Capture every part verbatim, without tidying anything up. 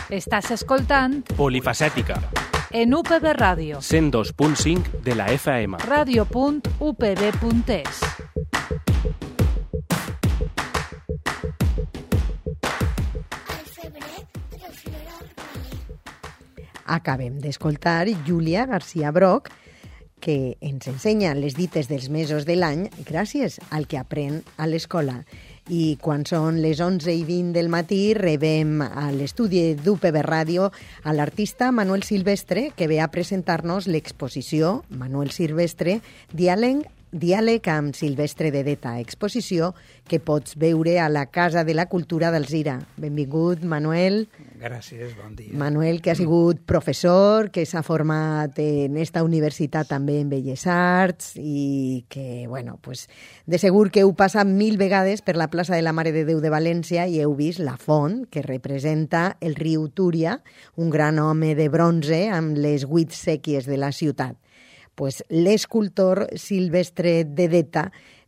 Estàs escoltant Polifacètica, en U P B Ràdio, cent dos punt cinc de la F M. ràdio punt u p b punt es. Acabem d'escoltar Júlia García Broch, que ens ensenya les dites dels mesos de l'any gràcies al que aprèn a l'escola. I quan són les onze i vint del matí rebem a l'estudi d'U P B Ràdio a l'artista Manuel Silvestre, que ve a presentar-nos l'exposició Manuel Silvestre, Diàleg, Diàleg amb Silvestre de Deta, exposició que pots veure a la Casa de la Cultura d'Alzira. Benvingut, Manuel. Gràcies, bon dia. Manuel, que ha sigut professor, que s'ha format en esta universitat també en Belles Arts i que, bueno, pues, de segur que heu passat mil vegades per la plaça de la Mare de Déu de València i heu vist la font que representa el riu Túria, un gran home de bronze amb les vuit sèquies de la ciutat. Pues l'escultor Silvestre de Deta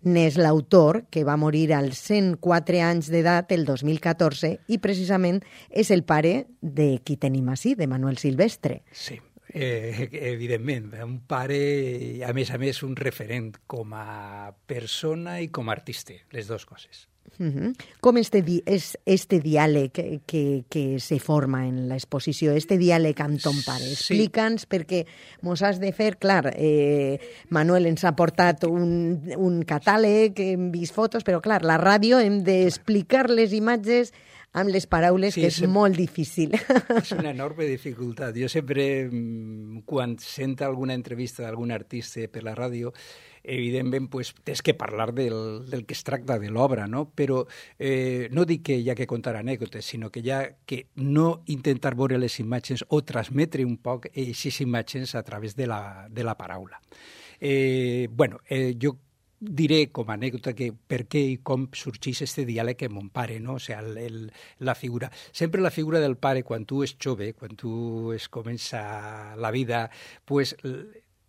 n'és l'autor, que va morir als cent quatre anys d'edat el dos mil catorze i precisament és el pare de qui tenim ací, de Manuel Silvestre. Sí, eh, evidentment, un pare, a més a més, un referent com a persona i com a artista, les dues coses. Uh-huh. Com este, di és este diàleg que, que, que se forma en l'exposició, este diàleg amb ton pare? Explica'ns, sí. Perquè mos has de fer, clar, eh, Manuel ens ha portat un, un catàleg, hem vist fotos, però clar, la ràdio hem d'explicar les imatges amb les paraules, sí, que és, és molt difícil. És una enorme dificultat. Jo sempre, quan sento alguna entrevista d'algun artista per la ràdio, evidentment, pues, tens que parlar del, del que es tracta de l'obra, no? Però eh, no dic que hi ha que contar anècdotes, sinó que hi ha que no intentar veure les imatges o transmetre un poc aquestes imatges a través de la, de la paraula. Eh, bueno, eh, jo diré com a anècdota que per què i com sorgeix este diàleg amb mon pare, no? O sigui, el, el, la figura. Sempre la figura del pare, quan tu és jove, quan tu es comença la vida, pues,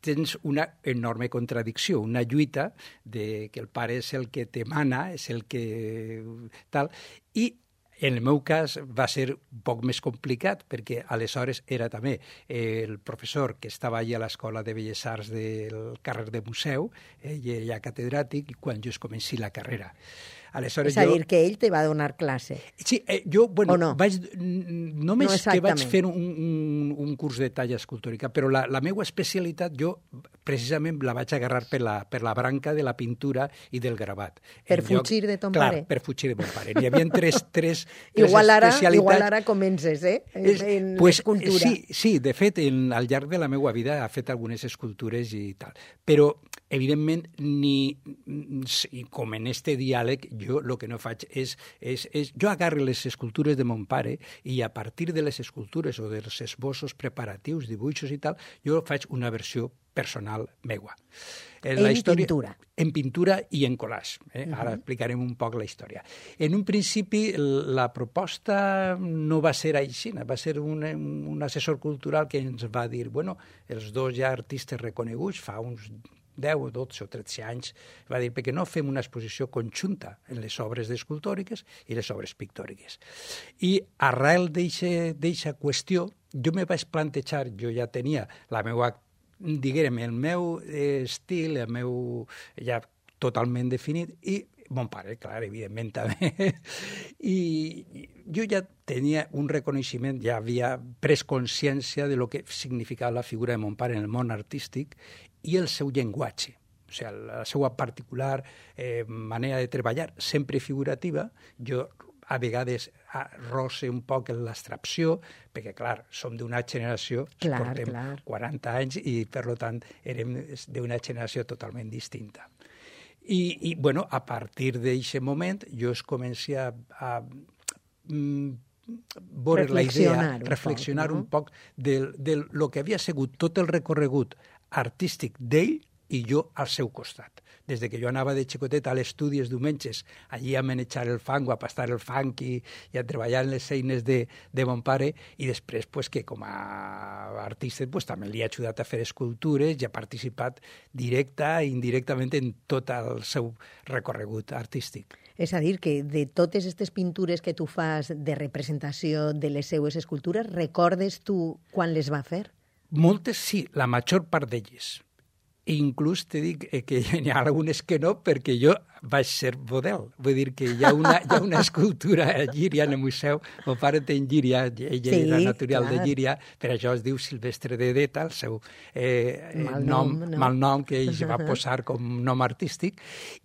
tens una enorme contradicció, una lluita de que el pare és el que te mana, és el que tal, i en el meu cas va ser un poc més complicat perquè aleshores era també el professor que estava allà a l'Escola de Belles Arts del carrer de Museu, ell era catedràtic, i quan jo es comenci la carrera. Aleshores, és a jo... dir, que ell te va donar classe. Sí, eh, jo, bueno, no? vaig, només no que vaig fer un, un, un curs de talla escultòrica, però la, la meva especialitat jo precisament la vaig agarrar per la, per la branca de la pintura i del gravat. Per fugir de ton clar, pare? Clar, per fugir de mon pare. N'hi havia tres, tres, tres igual ara, especialitats. Igual ara comences, eh? En, és, en pues, l'escultura. Sí, sí, de fet, en, al llarg de la meva vida ha fet algunes escultures i tal. Però, evidentment, ni, com en este diàleg, jo el que no faig és, és, és... Jo agarro les escultures de mon pare i a partir de les escultures o dels esbossos preparatius, dibuixos i tal, jo faig una versió personal meua. En, la en història, pintura. En pintura i en collage. Eh? Uh-huh. Ara explicarem un poc la història. En un principi, la proposta no va ser així, va ser un, un assessor cultural que ens va dir, bueno, els dos ja artistes reconeguts fa uns deu, dotze o tretze anys, va dir, perquè no fem una exposició conjunta en les obres escultòriques i les obres pictòriques. I arrel d'aquesta qüestió, jo me vaig plantejar, jo ja tenia la meva, diguem, el meu estil, el meu ja totalment definit, i mon pare, clar, evidentment també. I jo ja tenia un reconeixement, ja havia pres consciència de lo que significava la figura de mon pare en el món artístic i el seu llenguatge. O sigui, la seva particular eh, manera de treballar, sempre figurativa. Jo a vegades roce un poc l'abstracció, perquè, clar, som d'una generació, clar, portem clar. quaranta anys i, per tant, érem d'una generació totalment distinta. I, i bueno, a partir d'aquest moment, jo es comenci a, a mm, veure la idea, reflexionar un poc de, de lo que havia sigut tot el recorregut artístic d'ell i jo al seu costat. Des que jo anava de xicotet a l'estudi els diumenges, allí a manejar el fang o a pastar el fang i, i a treballar en les eines de, de mon pare, i després pues, que com a artista pues, també li ha ajudat a fer escultures i ha participat directa i indirectament en tot el seu recorregut artístic. És a dir, que de totes aquestes pintures que tu fas de representació de les seues escultures, recordes tu quan les va fer? Moltes sí, la major part d'elles. Inclús te dic que hi ha algunes que no, perquè jo vaig ser model. Vull dir que hi ha una, hi ha una escultura a Llíria, en el museu. El pare té en Llíria, ell sí, era natural clar. de Llíria, per això es diu Silvestre de Deta, el seu eh, mal nom, nom, no? mal nom que ell va posar com nom artístic,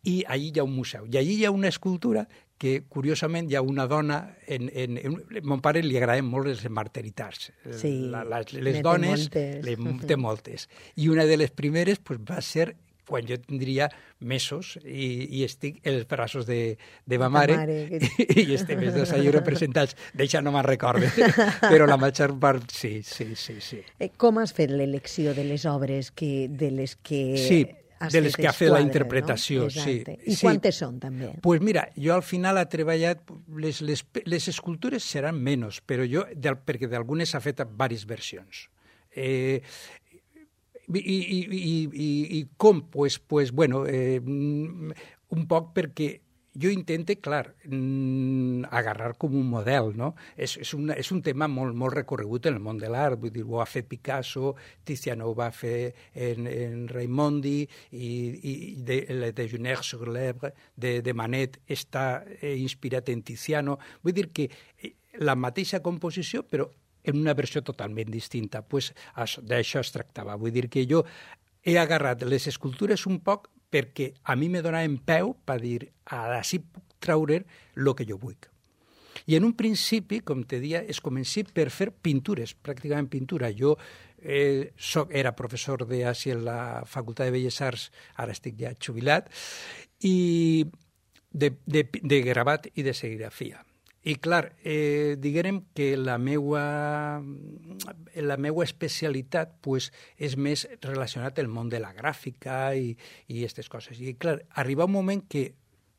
i allí hi ha un museu. I allí hi ha una escultura que, curiosament, hi ha una dona... En, en, en, a mon pare li agraden molt les marteritats. Sí, la, la, les dones, moltes. Les, té moltes. I una de les primeres pues, va ser quan jo tindria mesos i, i estic en els braços de, de ma mare, mare que... i estem els dos allà representats. D'això no me'n recorde, però la major part sí, sí, sí. sí. Com has fet l'elecció de les obres que, de les que... Sí, de les que ha fet la interpretació, no? sí. I sí. quantes són, també? Doncs pues mira, jo al final he treballat... Les, les, les escultures seran menys, però jo, del, perquè d'algunes s'ha fet diverses versions. Eh, i, i, i, i, I com? Pues, pues, bueno, eh, un poc perquè jo intento, clar, agarrar com un model, no? És, és, una, és un tema molt, molt recorregut en el món de l'art, vull dir, ho ha fet Picasso, Tiziano ho va fer en, en Raimondi, i, i de, de Juners sur l'Ebre, de, de Manet, està eh, inspirat en Tiziano. Vull dir que la mateixa composició, però en una versió totalment distinta. Pues, d'això es tractava. Vull dir que jo he agarrat les escultures un poc perquè a mi me donava en peu per dir, així puc treure el que jo vull. I en un principi, com te deia, es comenci per fer pintures, pràcticament pintura. Jo eh, soc, era professor d'Àsia a la Facultat de Belles Arts, ara estic ja jubilat, i de, de, de gravat i de serigrafia. I, clar, eh, diguem que la meua, la meua especialitat pues, és més relacionat al món de la gràfica i aquestes coses. I, clar, arriba un moment que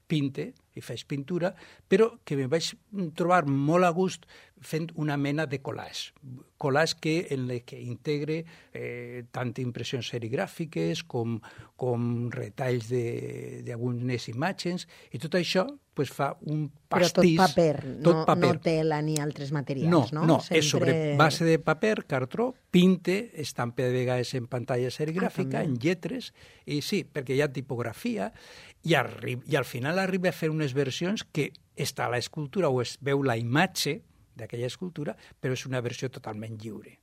pinte i faig pintura, però que me vaig trobar molt a gust fent una mena de collage. Collage que, en el que integre eh, tant impressions serigràfiques com, com retalls d'algunes imatges, i tot això pues, fa un pastís... Però tot paper, tot no, paper. no tela ni altres materials, no? No, no, Sempre... és sobre base de paper, cartró, pinte, estampa de vegades en pantalla serigràfica, ah, en lletres, i sí, perquè hi ha tipografia, i, arri i al final arriba a fer unes versions que està a l'escultura o es veu la imatge d'aquella escultura, però és una versió totalment lliure.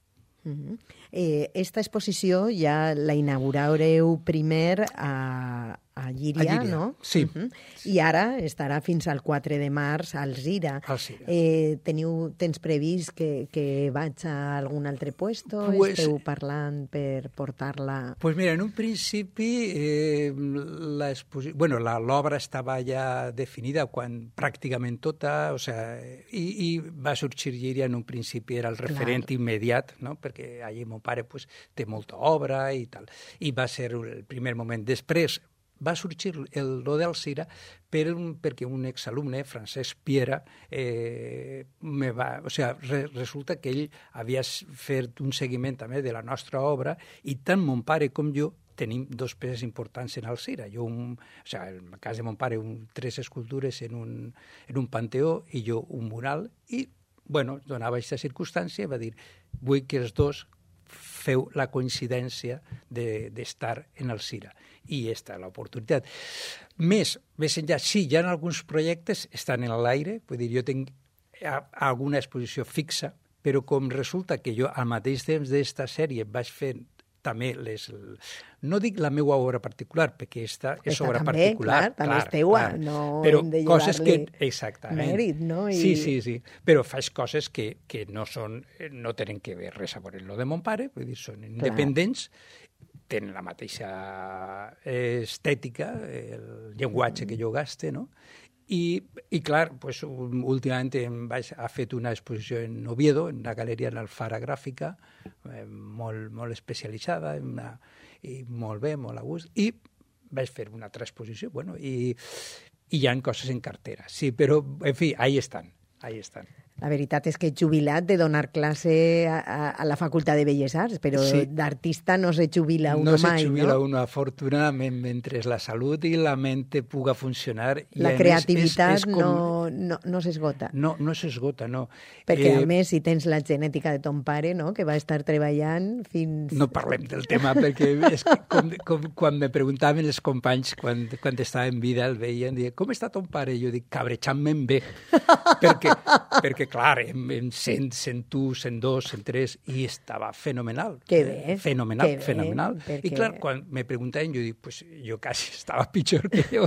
Uh-huh. eh, esta exposició ja la inaugurareu primer a, a Llíria, a Llíria, no? Sí. Uh-huh. I ara estarà fins al quatre de març al Zira. Al Zira. Eh, teniu, tens previst que, que vaig a algun altre puesto? Pues, Esteu parlant per portar-la... Pues mira, en un principi eh, bueno, l'obra estava ja definida quan pràcticament tota, o sea, i, i va sorgir Llíria en un principi, era el referent Clar. immediat, no? Perquè allí mon pare pues, té molta obra i tal. I va ser el primer moment. Després va sorgir el lo del Zira per un, perquè un exalumne, Francesc Piera, eh, me va, o sea, re, resulta que ell havia fet un seguiment també de la nostra obra i tant mon pare com jo tenim dos peces importants en el Zira. Jo, un, o sea, en el cas de mon pare, un, tres escultures en un, en un panteó i jo un mural i bueno, donava aquesta circumstància i va dir, vull que els dos feu la coincidència d'estar de, en el Zira. I aquesta és l'oportunitat. Més, més enllà, sí, hi ha alguns projectes, estan en l'aire, vull dir, jo tinc alguna exposició fixa, però com resulta que jo al mateix temps d'esta sèrie vaig fer també les... No dic la meva obra particular, perquè aquesta és Esta obra també, particular. Clar, també és teua, clar. no però hem de coses que exactament. Mèrit, no? I... Sí, sí, sí. Però faig coses que, que no són, no tenen que ver res a veure amb lo de mon pare, vull dir, són independents, clar. Tenen la mateixa estètica, el llenguatge que jo gaste, no? I, i clar, pues, últimament em vaig, ha fet una exposició en Oviedo, en una galeria en Alfara Gràfica, eh, molt, molt especialitzada, una, i molt bé, molt a gust, i vaig fer una altra exposició, bueno, i, i hi ha coses en cartera, sí, però, en fi, ahí estan, ahí estan. La veritat és que he jubilat de donar classe a, a, a la Facultat de Belles Arts, però sí. d'artista no se jubila uno no mai, se jubila no? uno, afortunadament, mentre la salut i la mente puga funcionar. La I creativitat més, és, és com... no, no, no s'esgota. No, no s'esgota, no. Perquè, eh, a més, si tens la genètica de ton pare, no?, que va estar treballant fins... No parlem del tema, perquè és que com, com, quan me preguntaven els companys, quan, quan estava en vida, el veien, diuen, com està ton pare? I jo dic, cabrejant-me'n bé. perquè, perquè, clar, en, en cent, cent u, cent dos, cent tres, i estava fenomenal. Que bé. Fenomenal, que bé, fenomenal. perquè... I clar, quan me preguntaven, jo dic, pues jo quasi estava pitjor que jo.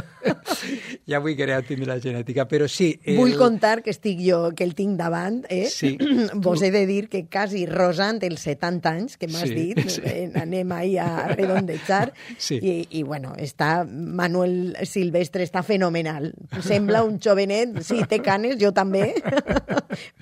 Ja vull querer tindre la genètica, però sí... El... Vull contar que estic jo, que el tinc davant, eh? Sí. Vos he de dir que quasi rosant els setanta anys, que m'has Sí, dit, sí. eh, anem ahí a redondejar, Sí. i, i bueno, està, Manuel Silvestre està fenomenal. Sembla un jovenet, sí, té canes, jo també,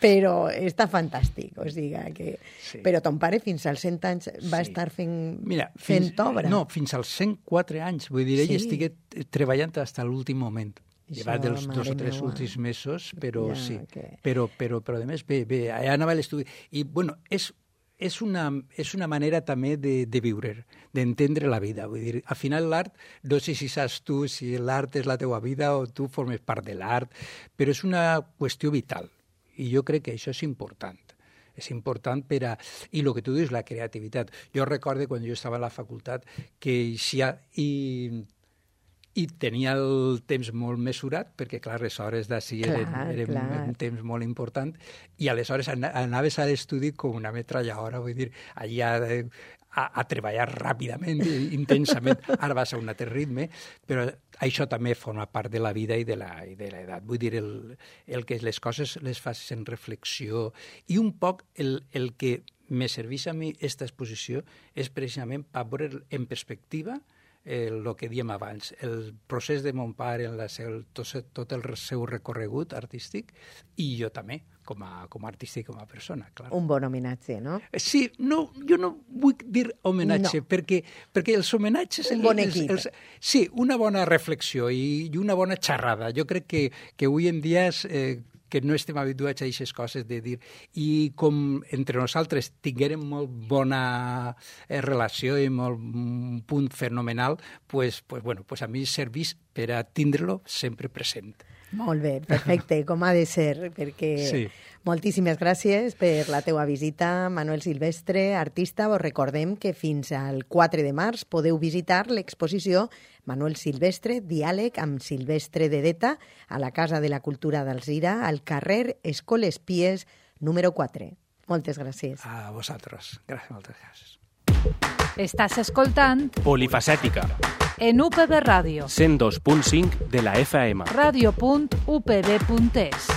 però està fantàstic, o sigui que... Sí. Però ton pare fins als cent anys va Sí. estar fent, Mira, fent fins, obra. No, fins als cent quatre anys. Vull dir, ell Sí. estigué treballant fins a l'últim moment. Això, Llevat dels dos mare o tres meua. últims mesos, però Ja, sí. que- Però, però, però, a més, bé, bé, allà anava a l'estudi. I, bueno, és, és, una, és una manera també de, de viure, d'entendre la vida. Vull dir, al final l'art, no sé si saps tu si l'art és la teua vida o tu formes part de l'art, però és una qüestió vital. I jo crec que això és important. És important per a... I el que tu dius, la creativitat. Jo recordo quan jo estava a la facultat que eixia i, i tenia el temps molt mesurat, perquè, clar, les hores d'ací eren, Clar, eren clar. un temps molt important, i aleshores ana- anaves a l'estudi com una metralladora, vull dir, allà a, a, a treballar ràpidament, i intensament. Ara vas a un altre ritme, però això també forma part de la vida i de la i de l'edat. Vull dir, el, el que les coses les fas en reflexió, i un poc el, el que me serveix a mi aquesta exposició és precisament per veure en perspectiva el que diem abans, el procés de mon pare, en la seu, tot, tot el seu recorregut artístic, i jo també, com a, com a artista i com a persona, clar. Un bon homenatge, no? Sí, no, jo no vull dir homenatge, No. perquè, perquè els homenatges... Un bon equip. Els, els, sí, una bona reflexió i, i una bona xerrada. Jo crec que, que avui en dia és, eh, que no estem habituats a aquestes coses de dir... I com entre nosaltres tinguérem molt bona eh, relació i molt un punt fenomenal, pues, pues, bueno, pues a mi serveix per a tindre-lo sempre present. Molt bé, perfecte, com ha de ser, perquè Sí. moltíssimes gràcies per la teua visita, Manuel Silvestre, artista. Vos recordem que fins al quatre de març podeu visitar l'exposició Manuel Silvestre, diàleg amb Silvestre Dedeta, a la Casa de la Cultura d'Alzira, al carrer Escoles Pies, número quatre. Moltes gràcies. A vosaltres. Gràcies, moltes gràcies. Estàs escoltant Polifacètica, en U P B Ràdio, cent dos punt cinc de la F M. ràdio punt u p b punt es.